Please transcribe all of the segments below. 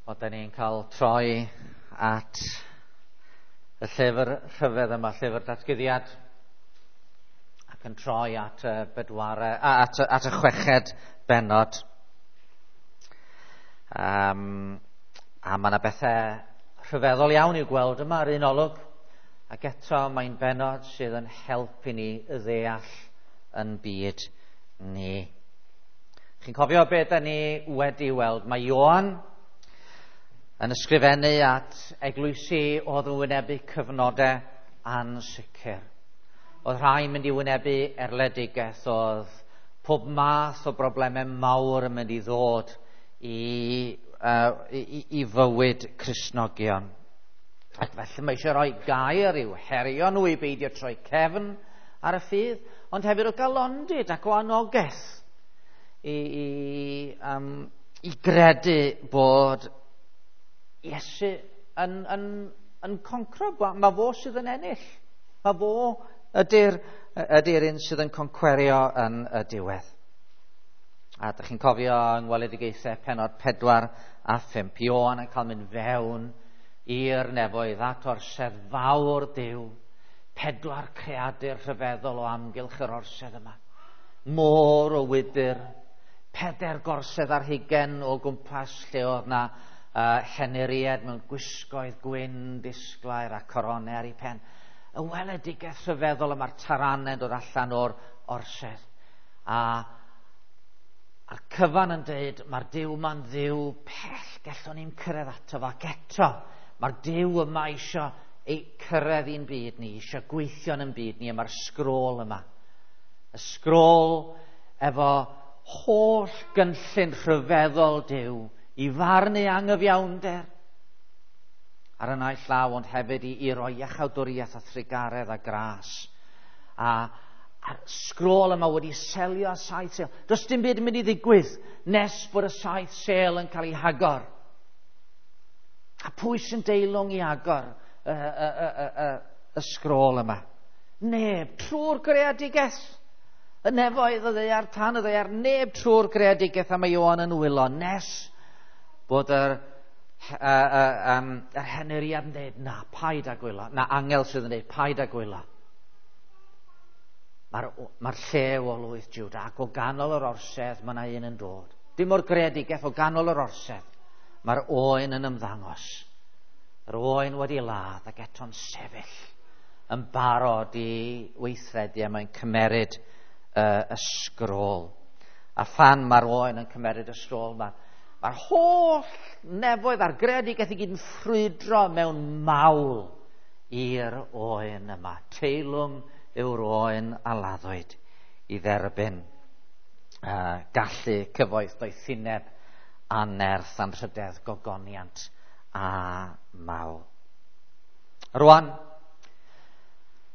O, da ni'n cael troi at y llyfr rhyfedd yma, llyfr datguddiad, ac yn troi at y bedware, at y chweched bennod. A mae yna bethau rhyfeddol iawn i'w gweld yma ar un olwg, ac eto mae'n bennod sydd yn helpu ni ddeall yn byd ni. Chi'n cofio beth da ni wedi weld? Mae Ioan yn ysgrifennu at eglwysi oedd yn wynebu cyfnodau ansicr. Oedd rhai'n mynd i wynebu erledigaeth, oedd pob math o broblemau mawr yn mynd i ddod i fywyd Cristnogion. Ac felly mae eisiau rhoi gair i'w herio nhw i beidio troi cefn ar y ffydd, ond hefyd o galondid ac o anogaeth i gredu bod Iesu yn concro. Mae fo sydd yn ennill. Mae fo ydy'r un sydd yn concwerio yn y diwedd. A ydych chi'n cofio yng ngweledigaethau pennod 4 a 5, Ioan yn cael mynd fewn i'r nefoedd at orsedd fawr Duw. 4 creadur rhyfeddol o amgylch yr orsedd yma. Môr o wydr, 4 gorsedd ar hugain o gwmpas lle oedd na henuried mewn gwisgoedd gwyn, disglair a coronau ar ei pen. Y weledigaeth rhyfeddol yma'r taranau'n dod allan o'r orsedd. A'r cyfan yn dweud, mae'r Duw yma'n Dduw pell, gallwn ni'n cyrraedd ato fo, ac eto, mae'r Duw yma eisiau ei cyrraedd i'n byd ni, eisiau gweithio yn byd ni, a mae'r sgrôl yma. Y sgrôl efo holl gynllun rhyfeddol Duw i farnu anghyfiawnder ar y naill llaw, ond hefyd i roi iachawdwriaeth a thrugaredd a gras. A'r sgrôl yma wedi selio 7 sêl. Does dim byd yn mynd i ddigwydd nes bod y 7 sêl yn cael ei hagor. A pwy sy'n deilwng i agor y sgrôl yma? Neb, trwy'r greadigaeth. Y nefoedd y ddaear, tan y ddaear, neb trwy'r greadigaeth, a mae Ioan yn wylo nes bod yr henuriad yn dweud, na, paid â gwylo. Na, angel sydd yn dweud, paid â gwylo. Mae'r llew o lwyth Jwda, ac o ganol yr orsedd mae yna un yn dod. Dim o'r greadigaeth, o ganol yr orsedd, mae'r oen yn ymddangos. Yr oen wedi ladd ac eto'n sefyll yn barod i weithredu, a mae'n cymeryd y sgrôl. A phan mae'r oen yn cymeryd y sgrôl, mae'r holl nefoedd a'r greadigaeth i gyd yn ffrwydro mewn mawl i'r oen yma. Teilwng yw'r oen a laddwyd i dderbyn gallu, cyfoeth, doethineb, anerth, anrhydedd, gogoniant a mawl. Rwan,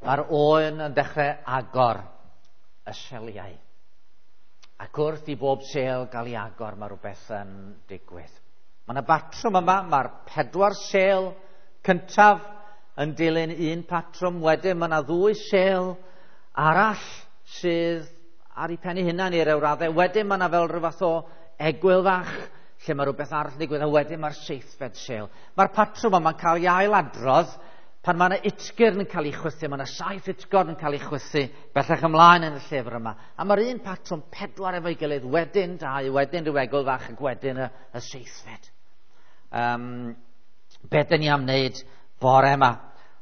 mae'r oen yn dechrau agor y seliau. Ac wrth i bob sêl gael ei agor, mae rhywbeth yn digwydd. Mae yna batrwm yma, mae'r 4 sêl cyntaf yn dilyn un patrwm, wedyn mae yna 2 sêl arall sydd ar ei pen ei hunan i'r raddau. Wedyn mae yna fel rhyw fath o egwyl fach lle mae rhywbeth arall yn digwydd, a wedyn mae'r 7fed sêl. Mae'r patrwm yma'n cael ei ailadrodd pan mae yna utgyrn yn cael ei chwythu, mae yna 7 utgorn yn cael ei chwythu bellach ymlaen yn y llyfr yma. A mae'r un patrwm 4 efo'i gilydd, wedyn 2, wedyn rhyw egwyl fach, ac wedyn y 7fed. Be dyn ni am wneud bore yma,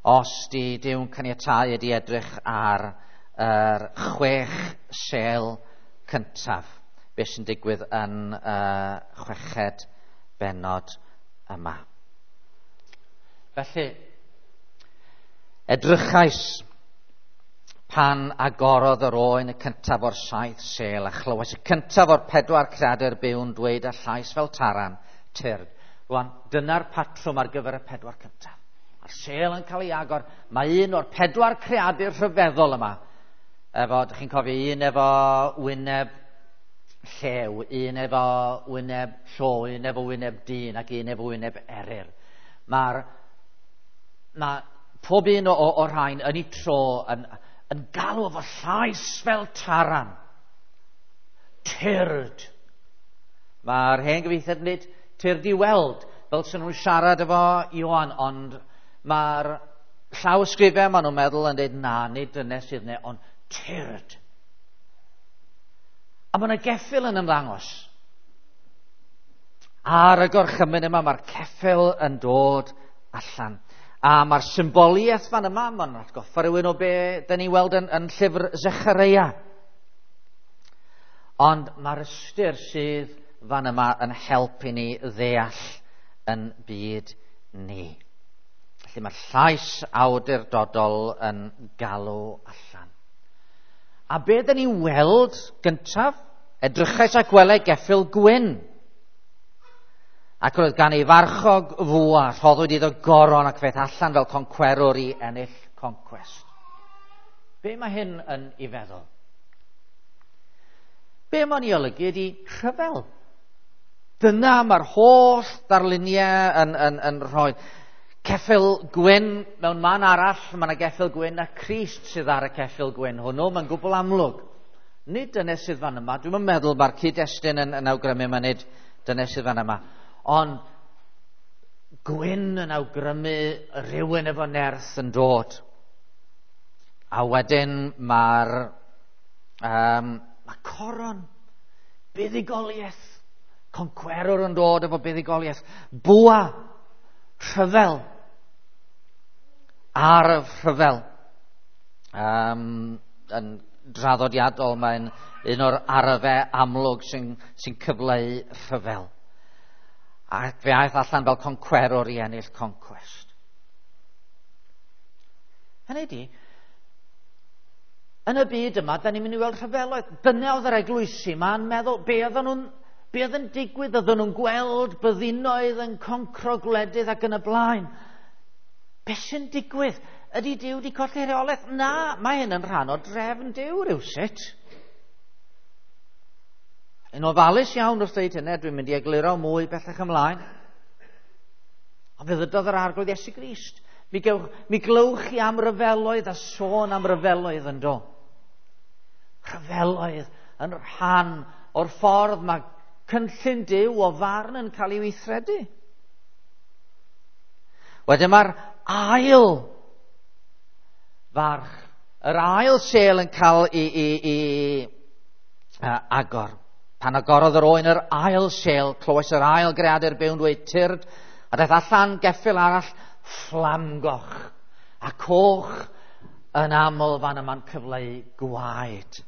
os di Duw'n caniatáu, ydi edrych ar yr 6 sêl cyntaf, beth sy'n digwydd yn y 6fed bennod yma. Felly, edrychais pan agorodd yr oen y cyntaf o'r 7 sêl, a chlywais y cyntaf o'r 4 creadur byw'n dweud â llais fel taran, tyrd. Rwan, dyna'r patrwm ar gyfer y 4 cyntaf. Mae'r sêl yn cael ei agor. Mae un o'r 4 creadur rhyfeddol yma. Efo, dych chi'n cofio, un efo wyneb llew, un efo wyneb llo, un efo wyneb dyn, ac un efo wyneb eryr. Mae pob un o'r rhain yn ei tro yn galw efo llais fel taran. Tyrd. Mae'r hen gyfieithiad yn dweud, tyrd i weld. fel sy'n nhw'n siarad efo Ioan, ond mae'r llawysgrifau maen nhw'n meddwl yn dweud na, nid dynes sydd yna, ond tyrd. A mae yna geffyl yn ymddangos. Ar y gorchymyn yma mae'r ceffyl yn dod allan. A mae'r symboliaeth fan yma, mae'n atgoffa rhywun o be dyn ni'n weld yn llyfr Zechareia. Ond mae'r ystyr sydd fan yma yn help i ni ddeall yn byd ni. Felly mae llais awdurdodol yn galw allan. A be dyn ni'n weld gyntaf? Edrychais a gwelai geffyl gwyn. Ac roedd gan ei farchog fwa, rhoddwyd iddo goron ac feith allan fel concwerwr i ennill concwest. Be mae hyn yn ei feddwl? Be mae'n ei olygu ydy rhyfel. Dyna mae'r holl ddarluniau yn rhoi. Ceffyl gwyn mewn man arall, mae yna geffyl gwyn a Crist sydd ar y ceffyl gwyn hwnnw, mae'n gwbl amlwg. Nid dyna sydd fan yma, dwi'm yn meddwl mae'r cyd-destun yn awgrymu mae nid dyna sydd fan yma. Ond gwyn yn awgrymu rhywun efo nerth yn dod. A wedyn mae'r mae coron, buddugoliaeth, concwerwr yn dod efo buddugoliaeth, bwa, rhyfel, arf rhyfel. Yn draddodiadol mae'n un o'r arfau amlwg sy'n cyfleu rhyfel. Ac fe aeth allan fel concwerwr i ennill concwest. Hynny ydi, yn y byd yma, da ni'n mynd i weld rhyfeloedd. Dyna oedd yr eglwysi ma'n meddwl, be oedd yn digwydd, oedden nhw'n gweld byddinoedd yn concro gwledydd ac yn y blaen. Be sy'n digwydd? Ydy Duw wedi colli rheolaeth? Na, mae hyn yn rhan o drefn Duw rywsut. Yn ofalus iawn wrth dweud hynny, dwi'n mynd i egluro mwy bellach ymlaen. Ond fe ddydodd yr Arglwydd Iesu Grist. Mi glywch chi am ryfeloedd a sôn am ryfeloedd yn do. Rhyfeloedd yn rhan o'r ffordd mae cynllun Duw o farn yn cael ei weithredu. Wedyn mae'r ail farch, yr ail sêl yn cael ei agor. Pan agorodd yr oen yr ail sêl, clywais yr ail greadur byw'n dweud tyrd, a daeth allan geffyl arall fflamgoch, a coch yn aml fan yma'n cyfleu gwaed.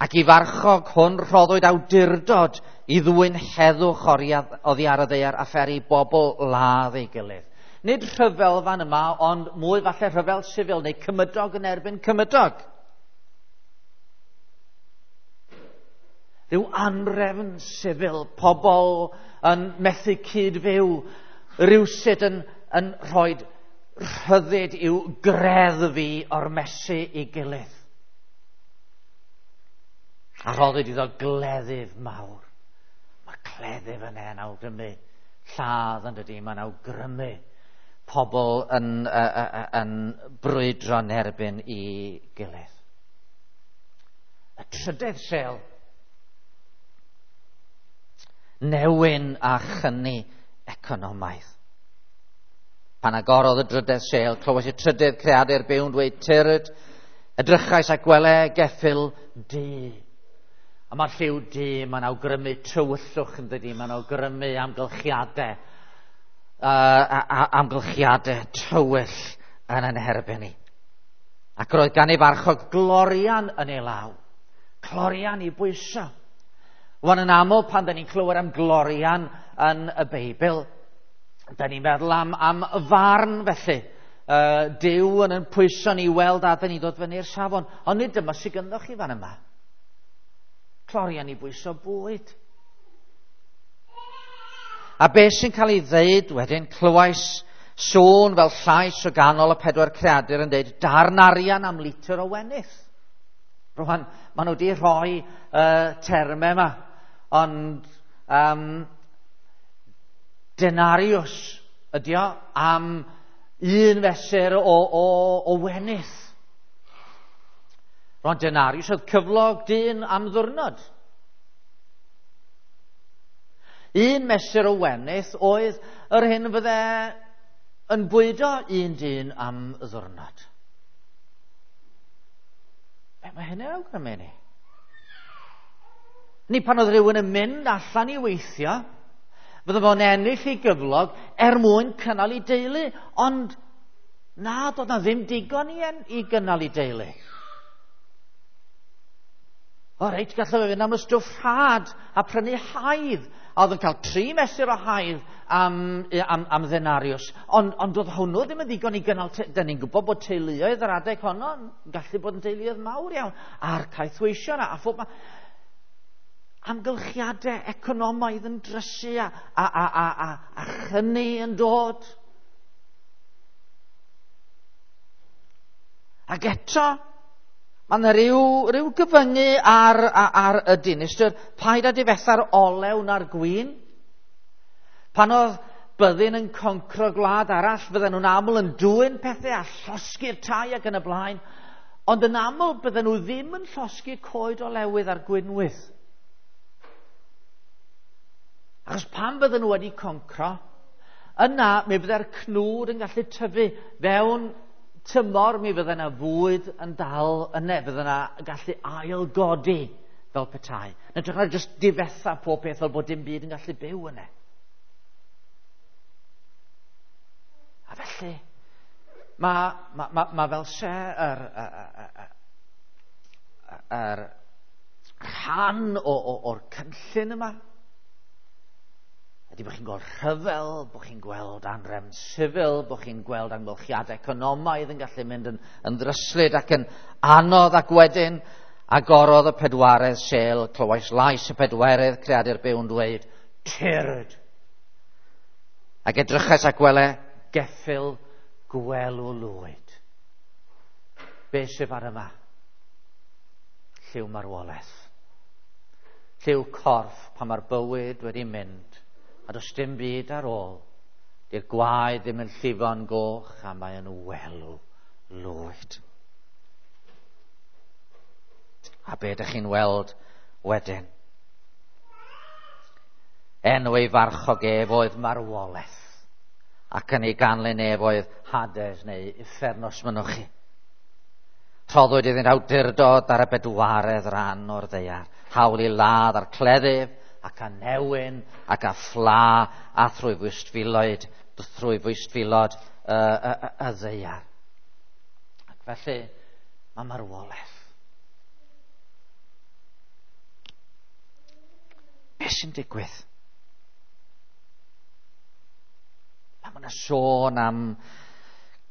Ac i farchog hwn rhoddwyd awdurdod i ddwyn heddwch oddi ar y ddaear a pheri bobl ladd ei gilydd. Nid rhyfel fan yma, ond mwy falle rhyfel sifil neu cymydog yn erbyn cymydog. Rhyw anrefn sifil, pobl yn methu cyd-fyw, rhywsut yn rhoi rhyddid i'w greddfu ormesu i gilydd. A rhoddwyd iddo gleddyf mawr. Mae cleddyf yn yn awgrymu lladd yn dydy, mae'n awgrymu pobl yn brwydro yn erbyn i gilydd. Y trydedd sêl, newyn a chynni economaidd. Pan agorodd y drydedd sêl, clywais y trydydd creadur byw'n dweud tyrd, edrychais a gwele geffyl du. A mae'r lliw du, mae'n awgrymu tywyllwch yn dydy, mae'n awgrymu amgylchiadau, amgylchiadau tywyll yn ein herbyn ni. Ac roedd gan ei farchog glorian yn ei law, clorian i bwyso. Wan yn aml pan da ni'n clywed am glorian yn y Beibl, da ni'n meddwl am farn felly. Duw yn pwyso ni weld a da ni'n dod fyny'r safon. Ond nid dyma sydd gynddo chi fan yma. Clorian i bwyso bwyd. A beth sy'n cael ei ddeud wedyn, clywais sŵn fel llais o ganol y pedwar creadur yn deud darn arian am litr o wenith. Rwan, maen nhw wedi rhoi termau yma, ond denarius ydi o am un fesur o wenith. Rwan, denarius oedd cyflog dyn am ddwrnod. Un mesur o wenith oedd yr hyn fydde yn bwydo un dyn am ddwrnod. Be mae hynny'n awgrymu ni? Ni pan oedd rhywun yn mynd allan i weithio, fydde fo'n ennill ei gyflog er mwyn cynnal ei deulu, ond na, doedd na ddim digon i gynnal ei deulu. O reit, gallai fe fynd am y stwff rhad a prynu haidd. A oedd yn cael 3 mesur o haidd am ddenariws. Ond oedd hwnnw ddim yn ddigon i gynnal... Dyn ni'n gwybod bod teuluoedd yr adeg honno yn gallu bod yn teuluoedd mawr iawn. A'r caethweision a phob... Amgylchiadau economaidd yn drysu a chyni yn dod. Ac eto, mae yna rhyw gyfyngu ar y dinistr. Paid â difetha'r olew na'r gwin. Pan oedd byddin yn concro gwlad arall, fydden nhw'n aml yn dwyn pethau a llosgi'r tai ac yn y blaen. Ond yn aml bydden nhw ddim yn llosgi coed olewydd a'r gwinwydd. Achos pan bydden nhw wedi concro, yna mi fydde'r cnwd yn gallu tyfu fewn tymor, mi fydde yna fwyd yn dal yna, fydde yna gallu ailgodi fel petai. Yn hytrach na jyst difetha pob peth fel bod dim byd yn gallu byw yna. A felly, mae fel se yr rhan o'r cynllun yma. Ydy bod chi'n gweld rhyfel, bod chi'n gweld anrefn sifil, bod chi'n gweld amgylchiadau economaidd yn gallu mynd yn ddryslyd ac yn anodd, ac wedyn agorodd y pedwaredd sêl, clywais lais y pedwerydd creadur byw yn dweud, tyrd! Ac edrychais ac wele geffyl gwelw lwyd. Be sydd ar yma? Lliw marwolaeth. Lliw corff pan mae'r bywyd wedi mynd. A does dim byd ar ôl. Di'r gwaed ddim yn llifo'n goch a mae yn welw lwyd. A be ydych chi'n weld wedyn? Enw ei farchog ef oedd marwolaeth, ac yn ei ganlyn ef oedd Hades neu uffern os mynnwch chi. Rhoddwyd iddynt awdurdod ar y bedwaredd ran o'r ddaear, hawl i ladd a'r cleddyf, ac a newyn, ac a phla, a thrwy fwystfilod y ddaear. Ac felly, mae marwolaeth. Be sy'n digwydd? Pan mae'n sôn am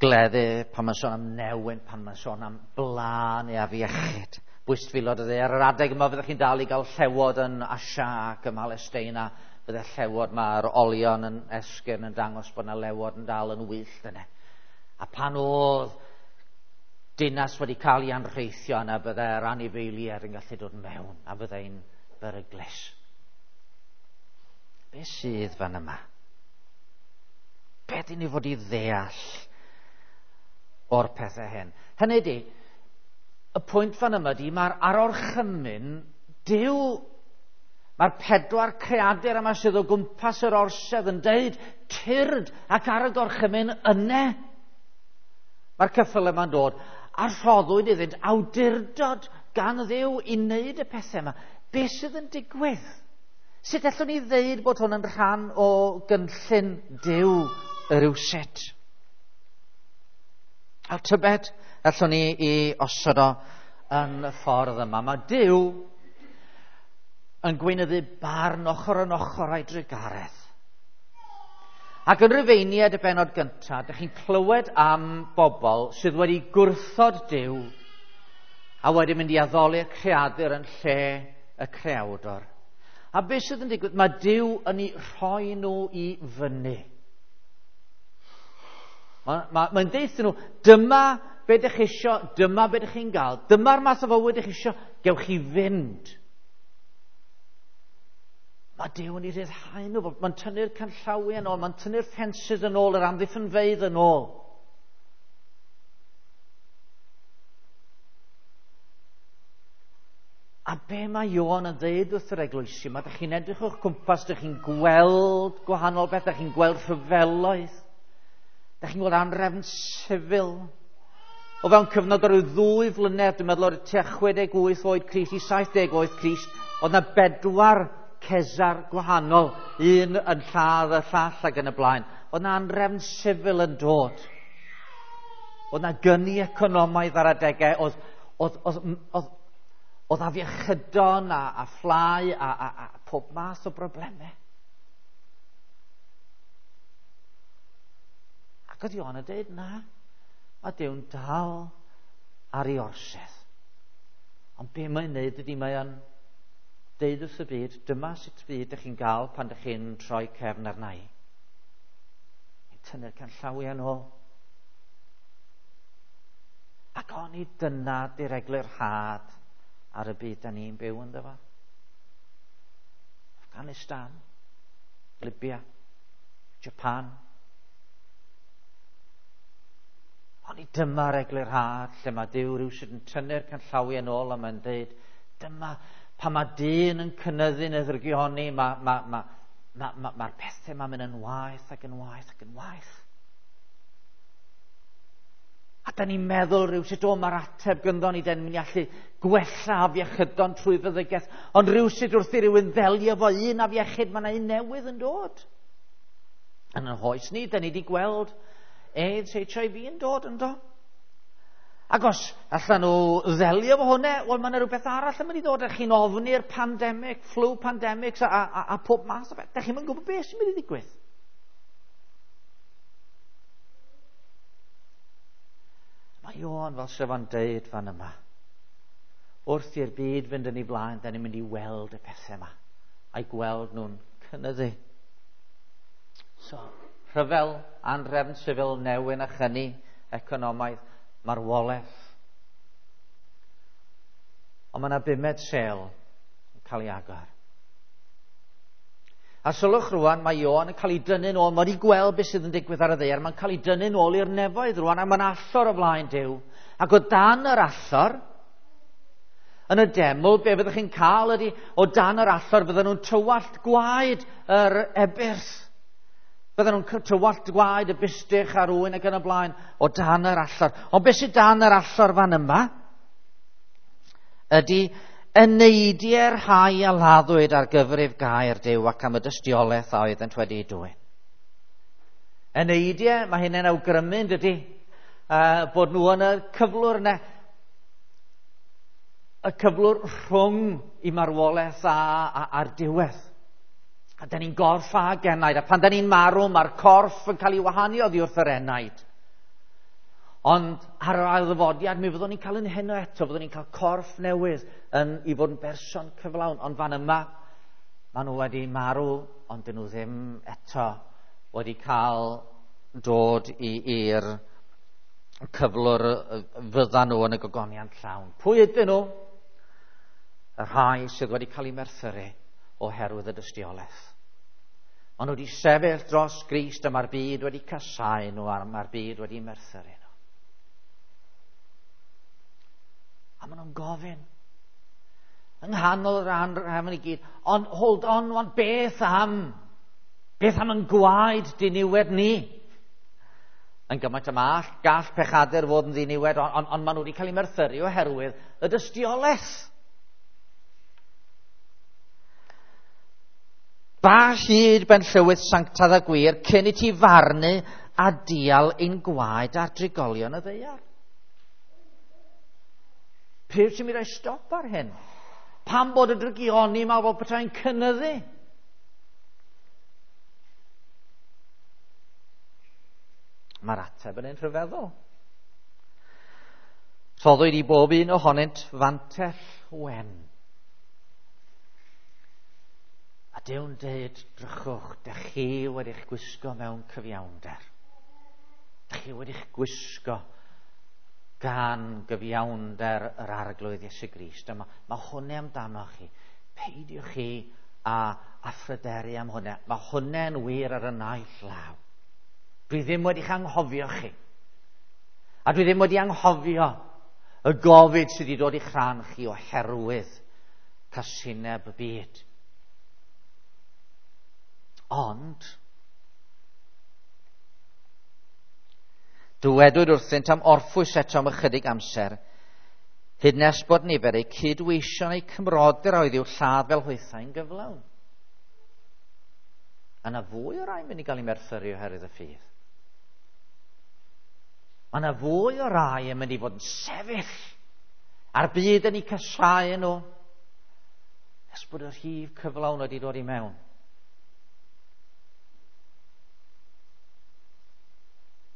gleddyf, pan mae'n sôn am newyn, pan mae'n sôn am bla neu afiechyd. Bwystfilod y ddaear. Ar yr adeg yma fyddech chi'n dal i gael llewod yn Asia ac ym Mhalesteina. Fydde llewod, mae'r olion yn esgyrn yn dangos bod yna lewod yn dal yn wyllt yna. A pan oedd dinas wedi cael ei anrheithio yna, bydde'r anifeiliaid yn gallu dod mewn a byddai'n beryglus. Be sydd fan yma? Be dyn ni fod i ddeall o'r pethau hyn? Hynny ydi, y pwynt fan yma di, mae'r arorchymyn, Duw, mae'r pedwar creadur yma sydd o gwmpas yr orsedd yn deud, tyrd ac ar y gorchymyn yne. Mae'r ceffyl yma'n dod, a rhoddwyd iddynt awdurdod gan Dduw i wneud y pethau yma. Be sydd yn digwydd? Sut allwn ni ddeud bod hwn yn rhan o gynllun Duw rywsut? A tybed, allwn ni i osod o yn y ffordd yma. Mae Duw yn gweinyddu barn ochr yn ochr a'i drugaredd. Ac yn Rufeiniaid y bennod gyntaf, dych chi'n clywed am bobl sydd wedi gwrthod Duw a wedi mynd i addoli'r creadur yn lle y creawdor. A beth sydd yn digwydd? Mae Duw yn eu rhoi nhw i fyny. Mae'n deutha nhw, dyma be dych chi isio, dyma be dych chi'n gael, dyma'r math o fywyd dych chi isio, gewch chi fynd. Mae Duw yn ei rhyddhau nhw, mae'n tynnu'r canllawiau yn ôl, mae'n tynnu'r ffensys yn ôl, yr amddiffynfeydd yn ôl. A be mae Ioan yn dweud wrth yr eglwysi, mae ydych chi'n edrych o'ch cwmpas, ydych chi'n gweld gwahanol beth, ydych chi'n gweld rhyfeloedd, ydych chi'n gweld anrefn sifil. O fewn cyfnod o ryw 2 flynedd, dwi'n meddwl o'r tua 68 oed Crist i 70 oed Crist, oedd yna 4 Cesar gwahanol, un yn lladd y llall ac yn y blaen. Oedd yna anrefn sifil yn dod. Oedd yna gyni economaidd ar adegau, oedd afiechydon a fflau a pob math o broblemau. Ac oedd Ioan yn dweud, na, mae Duw'n dal ar ei orsedd. Ond be mae'n neud ydy mae o'n deud wrth y byd, dyma sut byd ydych chi'n gael pan ydych chi'n troi cefn arna i. Tynnu'r canllawiau nôl. Ac oni dyna di'r eglurhad ar y byd da ni'n byw ynddo fo. Afghanistan, Libya, Japan. Oni dyma'r eglurhad lle mae Duw rhywsut yn tynnu'r canllawiau yn ôl a mae'n dweud, dyma pan mae dyn yn cynyddu'n y ddrygioni, mae'r pethau ma'n mynd yn waeth ac yn waeth ac yn waeth. A da ni'n meddwl rhywsut, o, mae'r ateb gynddo ni, da ni'n mynd i allu gwella afiechydon trwy feddygaeth, ond rhywsut wrth i rywun ddelio fo un afiechyd, mae yna un newydd yn dod. Yn ein hoes ni, da ni wedi gweld AIDS, HIV yn dod yn do. Ac os allan nhw ddelio fo hwnna, wel, mae yna rhywbeth arall yn mynd i ddod. Ydych chi'n ofni'r pandemic, flu pandemics a pob math o beth. Dych chi'n gwybod beth sy'n mynd i ddigwydd. Mae Ioan fel sef o'n deud fan yma. Wrth i'r byd fynd yn ei blaen, da ni'n mynd i weld y pethau yma. A'i gweld nhw'n cynyddu. So, rhyfel, anrefn sifil, newyn a chyni economaidd, marwolaeth. Ond mae yna 5 sêl yn cael ei agor. A sylwch rwan, mae Ioan yn cael ei dynnu'n ôl, mae wedi gweld beth sydd yn digwydd ar y ddaear, mae'n cael ei dynnu'n ôl i'r nefoedd rwan, a mae'n allor o flaen Duw. Ac o dan yr allor, yn y deml, be fyddwch chi'n cael ydy, o dan yr allor fydden nhw'n tywallt gwaed yr ebyrth. Fydden nhw'n tywallt gwaed y bustych a'r ŵyn ac yn y blaen, o dan yr allor. Ond beth sydd dan yr allor fan yma ydy eneidiau'r rhai a laddwyd ar gyfrif gair Duw ac am y dystiolaeth a oeddent wedi'i dwyn. Eneidiau, mae hynny'n awgrymu, yn dydy, bod nhw yn y cyflwr yna, y cyflwr rhwng i marwolaeth a'r diwedd. A da ni'n gorff ag enaid, a pan da ni'n marw, mae'r corff yn cael ei wahanu oddi wrth yr enaid. Ond ar yr ail ddyfodiad, mi fyddwn ni'n cael yn heno eto, fyddwn ni'n cael corff newydd i fod yn berson cyflawn. Ond fan yma, maen nhw wedi marw, ond dyn nhw ddim eto wedi cael dod i'r cyflwr fyddan nhw yn y gogoniant llawn. Pwy ydyn nhw? Y rhai sydd wedi cael eu merthyru oherwydd y dystiolaeth. Maen nhw wedi sefyll dros Grist a mae'r byd wedi casáu nhw a mae'r byd wedi merthyru nhw. A maen nhw'n gofyn yng nghanol yr anrefn i gyd, ond hold on, wan, beth am? Beth am yn gwaed diniwed ni? Yn gymaint am all, gall pechadur fod yn ddiniwed, ond maen nhw wedi cael eu merthyru oherwydd y dystiolaeth. Ba hyd ben llywydd sanctaidd a gwir cyn i ti farnu a dial ein gwaed ar drigolion y ddaear. Pryd sy'n mynd i roi stop ar hyn? Pam bod y drygioni yma fel petai'n cynyddu? Mae'r ateb yn un rhyfeddol. Rhoddwyd i bob un ohonynt fantell wen. A Duw'n deud, drychwch, dych chi wedi'ch gwisgo mewn cyfiawnder. Dych chi wedi'ch gwisgo gan gyfiawnder yr Arglwydd Iesu Grist. A mae hwnna amdano chi. Peidiwch chi a phryderu am hwnna. Mae hwnna'n wir ar y naill law. Dwi ddim wedi'ch anghofio chi. A dwi ddim wedi anghofio y gofid sydd wedi dod i'ch rhan chi oherwydd casineb y byd. Ond, dywedwyd wrthynt am orffwys eto am ychydig amser, hyd nes bod nifer eu cydweision eu cymrodyr oedd i'w lladd fel hwythau'n gyflawn. A yna fwy o rai mynd i gael ei merthyru oherwydd y ffydd. Mae yna fwy o rai yn mynd i fod yn sefyll a'r byd yn eu casau nhw nes bod y rhif cyflawn wedi dod i mewn.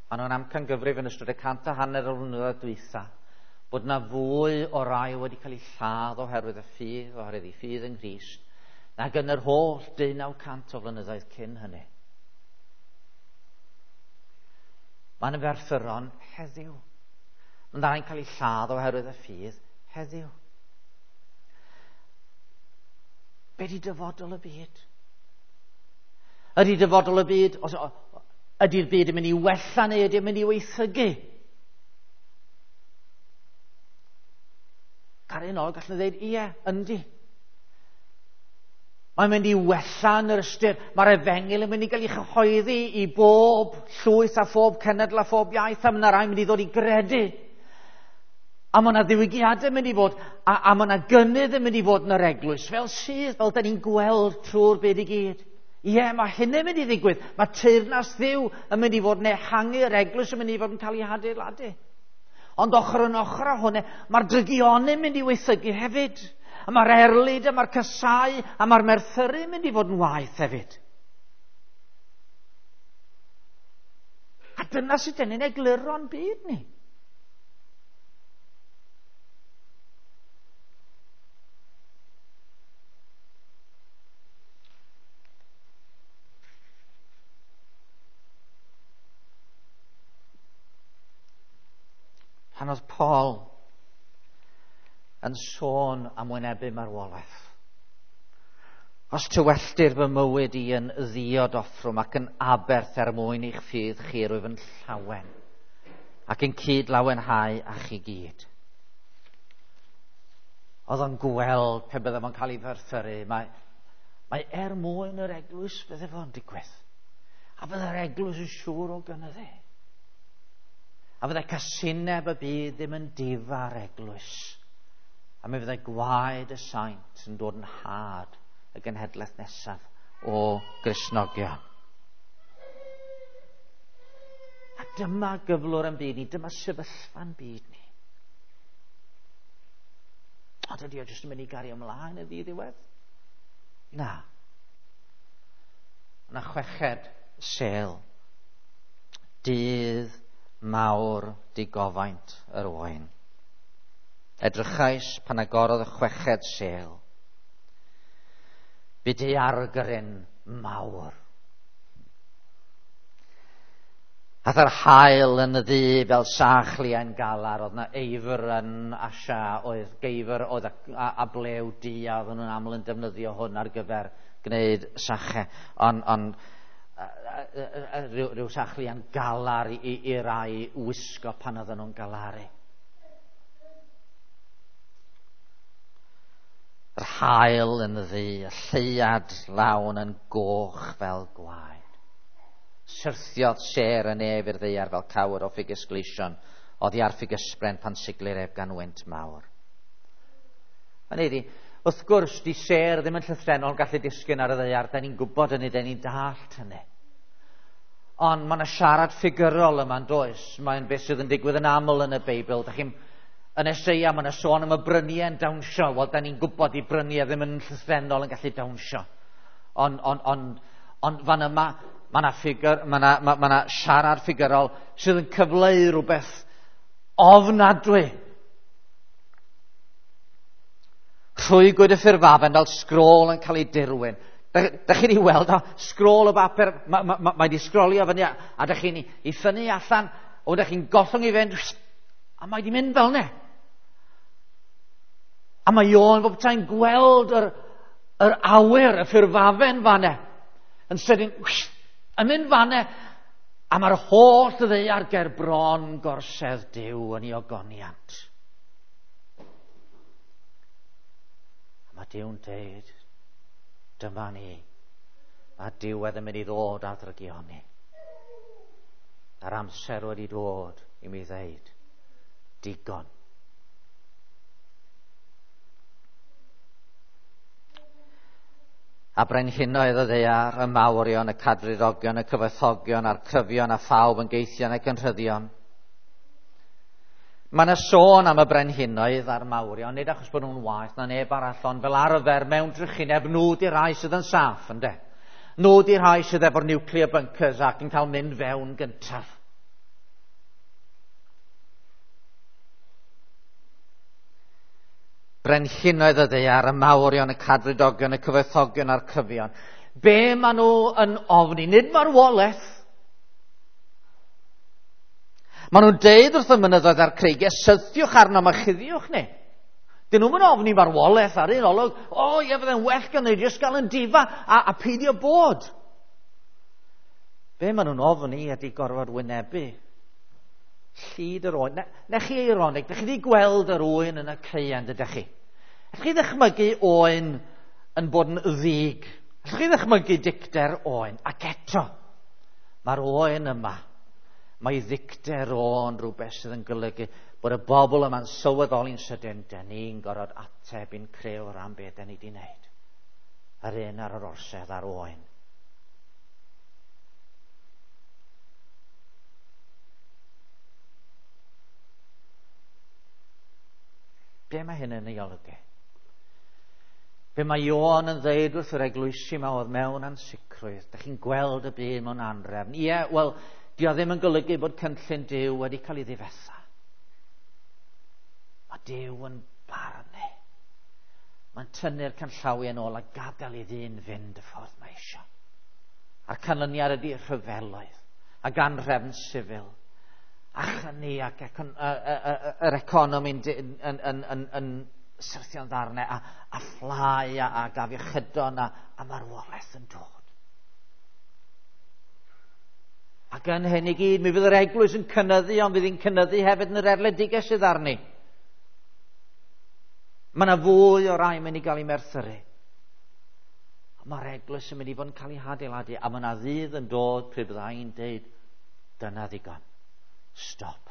A nhw'n amcangyfrif yn ystod y 150 o flynyddoedd dwytha bod yna fwy o rai wedi cael eu lladd oherwydd y ffydd, oherwydd eu ffydd yng Nghrist, nag yn yr holl 1900 o flynyddoedd cyn hynny. Mae'n ferthyron heddiw. Mae'n rhai'n cael eu lladd oherwydd y ffydd heddiw. Be di dyfodol y byd? Ydy dyfodol y byd, os, ydy'r byd yn mynd i wella neu ydy'n mynd i weithygu? Caru nôl, gallwn ddweud, ie, yndi. Mae'n mynd i wella yn yr ystyr. Mae'r efengyl yn mynd i gael ei chyhoeddi i bob llwyth a phob cenedl a phob iaith, a mae yna rai mynd i ddod i gredu. A mae yna ddiwygiadau yn mynd i fod, a mae yna gynnydd yn mynd i fod yn yr eglwys, fel sydd, fel da ni'n gweld trwy'r byd i gyd. Ie, mae hynny'n mynd i ddigwydd. Mae teyrnas Dduw yn mynd i fod yn ehangu, yr eglwys yn mynd i fod yn cael ei hadeiladu. Ond ochr yn ochr â hwnna, mae'r drygioni'n mynd i weithygu hefyd. A mae'r erlid, a mae'r casau, a mae'r merthyru yn mynd i fod yn waeth hefyd. A dyna sut dyn ni'n egluro'n byd ni. Pan oedd Paul yn sôn am wynebu marwolaeth. Os tywelltir fy mywyd i yn ddiod offrwm ac yn aberth er mwyn i'ch ffydd chi, rwyf yn llawen ac yn cyd lawenhau â chi gyd. Oedd o'n gweld pe bydde fo'n cael ei ferthyru. Mae, mae er mwyn yr eglwys bydde fo'n digwydd. A bydde'r eglwys yn siŵr o gynyddu. A fydde casineb y byd ddim yn difa'r eglwys. A mi fyddai gwaed y saint yn dod yn had y genhedlaeth nesaf o Gristnogion. A dyma gyflwr yn byd ni, dyma sefyllfa'n byd ni. Ond ydy o jyst yn mynd i gario ymlaen yn ddiddiwedd? Na. Yna chweched sel. Dydd mawr digofaint yr oen. Edrychais pan agorodd y chweched sel. Bu daeargryn mawr. Ath yr haul yn y ddu fel sach liain galar, oedd na eifr yn Asia, oedd geifr oedd a, a blew du, a oedden nhw'n aml yn defnyddio hwn ar gyfer gwneud sachau. Ond on, rhyw, rhyw sach liain galar i, i, i rai wisgo pan oedden nhw'n galaru. Yr haul yn ddu, y lleuad lawn yn goch fel gwaed. Syrthiodd sêr y nef i'r ddaear fel cawr o ffigys gleision, oddi ar ffigysbren pan siglir ef gan wynt mawr. Hynny ydi, wrth gwrs, di sêr ddim yn llythrennol gallu disgyn ar y ddaear, da ni'n gwybod hynny, da ni'n dallt hynny. Ond mae yna siarad ffigurol yma yn does. Mae'n beth sydd yn digwydd yn aml yn y Beibl. Da chi'n yn Eseia, mae yna sôn am y bryniau yn dawnsio. Wel, da ni'n gwybod i bryniau ddim yn llythrennol yn gallu dawnsio. Ond on, on, on fan yma, mae yna ffigur, mae yna, ma, ma siarad ffigurol sydd yn cyfleu rhywbeth ofnadwy. Rhwygwyd y ffurfafen fel sgrôl yn cael ei dirwyn. Da, da chi'n ei weld o, sgrôl o bapur, mae ma, ma, ma wedi sgrolio fyny, a da chi'n ei ffynnu allan, o da chi'n gollwng i fynd, a mae wedi mynd fel ne. A mae Ioan bob tra'n gweld yr, yr awyr, y ffurfafen fanne, yn sydyn, yn mynd fanne, a mae'r holl ddaear ger bron gorsedd Duw yn ei ogoniant. A mae Duw'n deud, dyma ni. Mae diwedd yn mynd i ddod ar ddrygioni. A'r amser wedi dod i mi ddeud, digon. A brenhinoedd y ddaear, y mawrion, y cadfridogion, y cyfoethogion, a'r cryfion, a phawb yn geithion ac yn rhyddion. Mae yna sôn am y brenhinoedd a'r mawrion, nid achos bod nhw'n waeth na neb arall, ond fel arfer mewn drychineb, nhw di'r rhai sydd yn saff, ynde? Nhw di'r rhai sydd efo'r nuclear bunkers ac yn cael mynd fewn gyntaf. Brenhinoedd y ddaear, y mawrion, y cadfridogion, y cyfoethogion a'r cryfion. Be maen nhw yn ofni? Nid marwolaeth. Maen nhw'n deud wrth y mynyddoedd a'r creigiau, syrthiwch arnom a chuddiwch ni. Dyn nhw'n mynd ofni marwolaeth ar un olwg. O, ie, fydde'n well gan ni jyst gael yn difa a peidio bod. Be maen nhw'n ofni ydy gorfod wynebu llid yr oen. Na chi eironig, dych chi wedi gweld yr oen yn y caeau, dydych chi? Allwch chi ddychmygu oen yn bod yn ddig? Allwch chi ddychmygu dicter oen? Ac eto, mae'r oen yma, mae ddicter o'n rhywbeth sydd yn golygu bod y bobl yma'n sylweddoli'n sydyn, dyn ni'n gorfod ateb i'n crëwr am beth dyn ni wedi wneud. Yr un ar yr orsedd a'r oen. Be mae hyn yn ei olygu? Be mae Ioan yn ddeud wrth yr eglwysi yma oedd mewn ansicrwydd? Dych chi'n gweld y byd mewn anrefn. Ie, wel, dio ddim yn golygu bod cynllun Duw wedi cael ei ddifetha. Mae Duw yn barnu. Mae'n tynnu'r canllawiau yn ôl a gadael i ddyn fynd y ffordd mae eisiau. A'r canlyniad ydy rhyfeloedd ac anrefn sifil. A chyni ac yr economi'n yn syrthio'n ddarnau a fflau a afiechydon a marwolaeth yn dod. Ac yn hyn i gyd, mi fydd yr eglwys yn cynyddu, ond fydd hi'n cynyddu hefyd yn yr erledigaeth sydd arni. Mae yna fwy o rai mynd i gael ei merthyru. Mae'r eglwys yn mynd i fod yn cael ei hadeiladu, a mae yna ddydd yn dod pryd bydda i'n deud, dyna ddigon. Stop.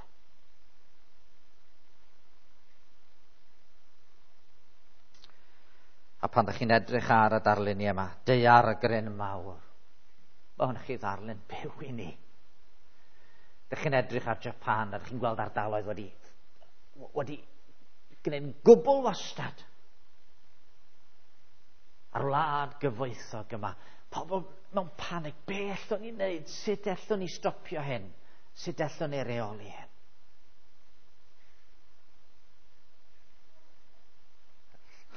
A pan ydych chi'n edrych ar y darluniau yma, daeargryn mawr, mae hwn chi ddarlun byw i ni. Ydych chi'n edrych ar Japan, a ydych chi'n gweld ardaloedd wedi gwneud yn gwbl wastad. A'r wlad gyfoethog yma, pobl mewn panig, be allwn ni wneud? Sut allwn ni stopio hyn? Sut allwn ni reoli hyn?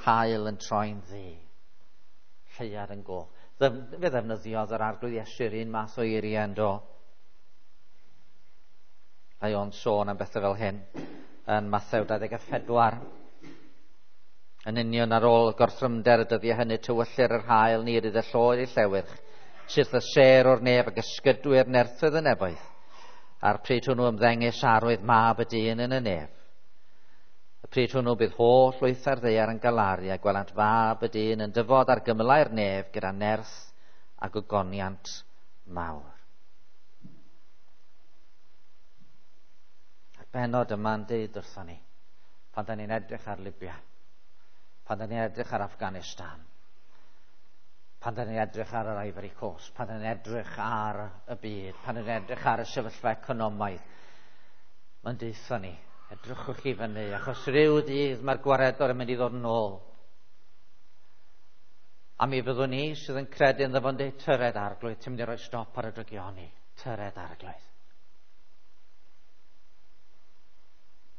Haul yn troi'n ddu, lleuad yn goch. Fe ddefnyddiodd yr Arglwydd Iesu'r un math o eiriau yn do. Mae o'n sôn am bethau fel hyn yn Mathew 24. Yn union ar ôl gorthrymder y dyddiau hynny, tywyllir yr haul, ni rydd y lloer i llewyrch, syth y sêr o'r nef ac ysgydwyr nerthoedd y nefoedd. A'r pryd hwnnw ymddengys arwydd mab y dyn yn y nef. Y pryd hwnnw bydd holl lwythau'r ddaear yn galaru a gwelant fab y dyn yn dyfod ar gymylau'r nef gyda nerth a gogoniant mawr. A'r bennod yma'n deud wrthon ni, pan da ni'n edrych ar Libya, pan da ni'n edrych ar Afghanistan, pan da ni'n edrych ar yr Ivory Coast, pan da ni'n edrych ar y byd, pan da ni'n edrych ar y sefyllfa economaidd, mae'n deutha ni, edrychwch chi fyny, achos rhyw ddydd mae'r gwaredwr yn mynd i ddod yn ôl. A mi fyddwn ni sydd yn credu ynddo fo'n deud, tyred Arglwydd, ti'n mynd i roi stop ar y drygioni. Tyred Arglwydd.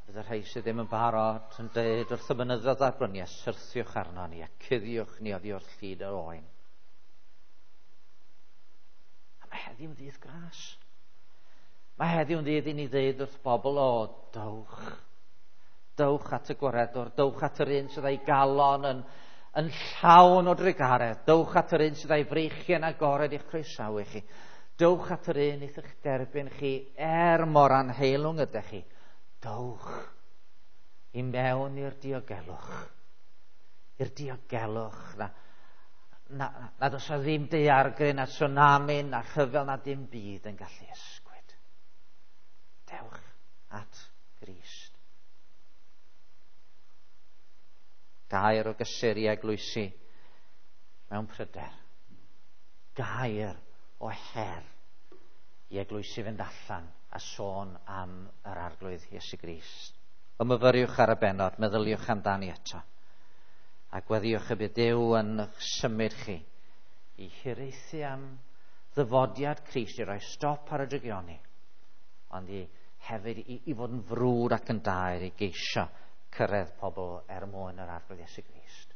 Bydd y rhai sydd ddim yn barod yn deud wrth y mynyddoedd a'r bryniau, syrthiwch arno ni a cuddiwch ni oddi wrth llid yr oen. A mae heddiw'n ddydd gras. Mae heddiw'n ddydd i ni ddeud wrth bobl, o, dowch. Dowch at y gwaredwr, dowch at yr un sydd â'i galon yn llawn o drugaredd. Dowch at yr un sydd â'i freichiau'n agored i'ch croesawu chi. Dowch at yr un eich derbyn chi er mor anheilwng ydych chi. Dowch i mewn i'r diogelwch, I'r diogelwch na, na, na does o ddim daeargryn na tsunami na rhyfel na dim byd yn gallu ysgwyd. Dewch at Grist. Gair o gysur i eglwysi mewn pryder. Gair o her i eglwysi fynd allan a sôn am yr Arglwydd Iesu Grist. Ymyfyriwch ar y bennod, meddyliwch amdani eto. A gweddiwch y bydd Duw yn symud chi i hiraethu am ddyfodiad Crist i roi stop ar y drygioni, ond i hefyd i fod yn frwd ac yn daer i geisio cyrraedd pobl er mwyn yr Arglwydd Iesu Grist.